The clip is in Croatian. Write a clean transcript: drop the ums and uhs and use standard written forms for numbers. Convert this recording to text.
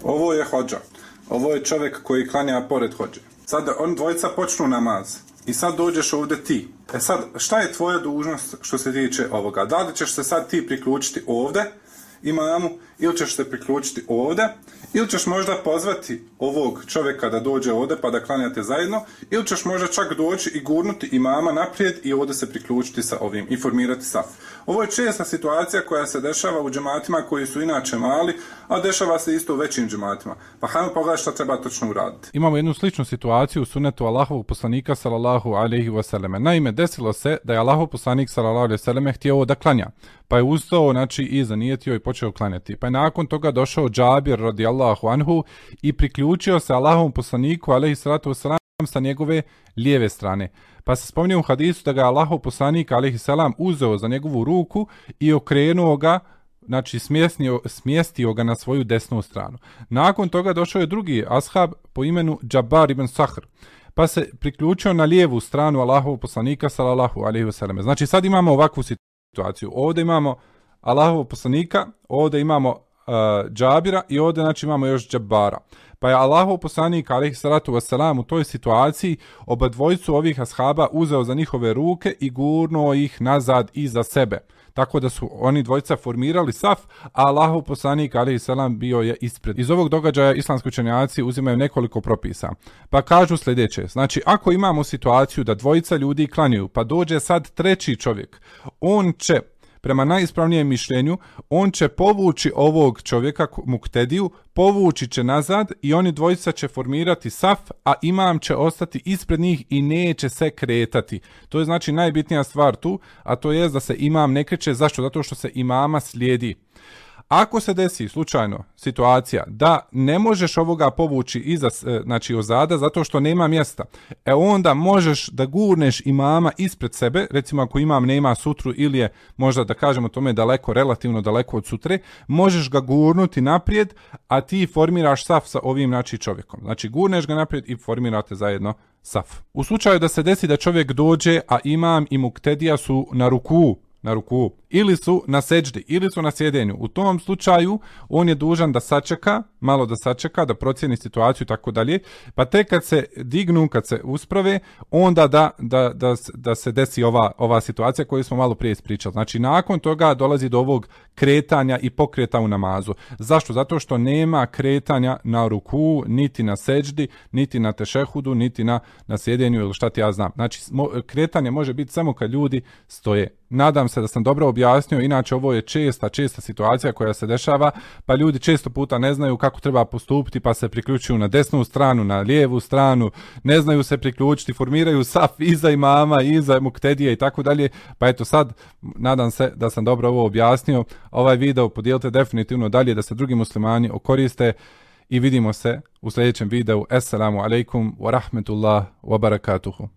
ovo je hodža, ovo je čovjek koji klanja pored hodže. Sad on dvojica počnu namaz i sad dođeš ovdje ti. Sad, šta je tvoja dužnost što se tiče ovoga? Da li ćeš se sad ti priključiti ovdje imamu, ili ćeš se priključiti ovdje, ili ćeš možda pozvati ovog čovjeka da dođe ovdje pa da klanjate zajedno, ili ćeš možda čak doći i gurnuti imama naprijed i ovdje se priključiti sa ovim i formirati saf. Ovo je česta situacija koja se dešava u džematima koji su inače mali, a dešava se isto u većim džematima. Pa hajmo pogledati šta treba točno uraditi. Imamo jednu sličnu situaciju u sunetu Allahovog poslanika sallallahu alejhi ve selleme. Naime, desilo se da je Allahov poslanik sallallahu alejhi ve selleme htio da klanja, pa je ustao, znači i zanijetio i počeo klanjati. Pa je nakon toga došao Džabir radijallahu anhu i priključio se Allahovom poslaniku alejhi salatu vesselam sa njegove lijeve strane. Pa se spominje u hadisu da ga je Allahov poslanik alejhi selam uzeo za njegovu ruku i okrenuo ga, znači smjestio ga na svoju desnu stranu. Nakon toga došao je drugi ashab po imenu Džabar ibn Sahr, pa se priključio na lijevu stranu Allahovog poslanika sallallahu alejhi ve selleme. Znači sad imamo ovakvu situaciju. Ovdje imamo Allahovog poslanika, ovdje imamo Džabira i ovdje znači imamo još Džabara. Pa je Allahov poslanik alejhi salatu vesselam u toj situaciji oba dvojicu ovih ashaba uzeo za njihove ruke i gurnuo ih nazad iza sebe. Tako da su oni dvojica formirali saf, a Allahov poslanik alejhi selam bio je ispred. Iz ovog događaja islamski učenjaci uzimaju nekoliko propisa. Pa kažu sljedeće: znači ako imamo situaciju da dvojica ljudi klanjaju, pa dođe sad treći čovjek, on će prema najispravnijem mišljenju, on će povući ovog čovjeka, muktediju, povući će nazad i oni dvojica će formirati saf, a imam će ostati ispred njih i neće se kretati. To je znači najbitnija stvar tu, a to je da se imam ne kreće. Zašto? Zato što se imama slijedi. Ako se desi slučajno situacija da ne možeš ovoga povući iza, znači ozada, zato što nema mjesta, onda možeš da gurneš imama ispred sebe, recimo ako imam nema sutru ili je možda da kažemo tome daleko, relativno daleko od sutre, možeš ga gurnuti naprijed, a ti formiraš saf sa ovim znači čovjekom. Znači gurneš ga naprijed i formirate zajedno saf. U slučaju da se desi da čovjek dođe, a imam i muktedija su na ruku, ili su na seđdi, ili su na sjedenju. U tom slučaju on je dužan da sačeka, malo da sačeka, da procijeni situaciju i tako dalje, pa tek kad se dignu, kad se usprave, onda da se desi ova situacija koju smo malo prije ispričali. Znači nakon toga dolazi do ovog kretanja i pokreta u namazu. Zašto? Zato što nema kretanja na ruku, niti na seđdi, niti na tešehudu, niti na sjedenju ili šta ti ja znam. Znači kretanje može biti samo kad ljudi stoje. Nadam se da sam dobro objasnio, inače ovo je česta situacija koja se dešava, pa ljudi često puta ne znaju kako treba postupiti, pa se priključuju na desnu stranu, na lijevu stranu, ne znaju se priključiti, formiraju saf iza imama, iza muktedije i tako dalje. Pa eto sad, nadam se da sam dobro ovo objasnio. Ovaj video podijelite definitivno dalje da se drugi muslimani okoriste i vidimo se u sljedećem videu. Assalamu alaikum wa rahmetullah wa barakatuhu.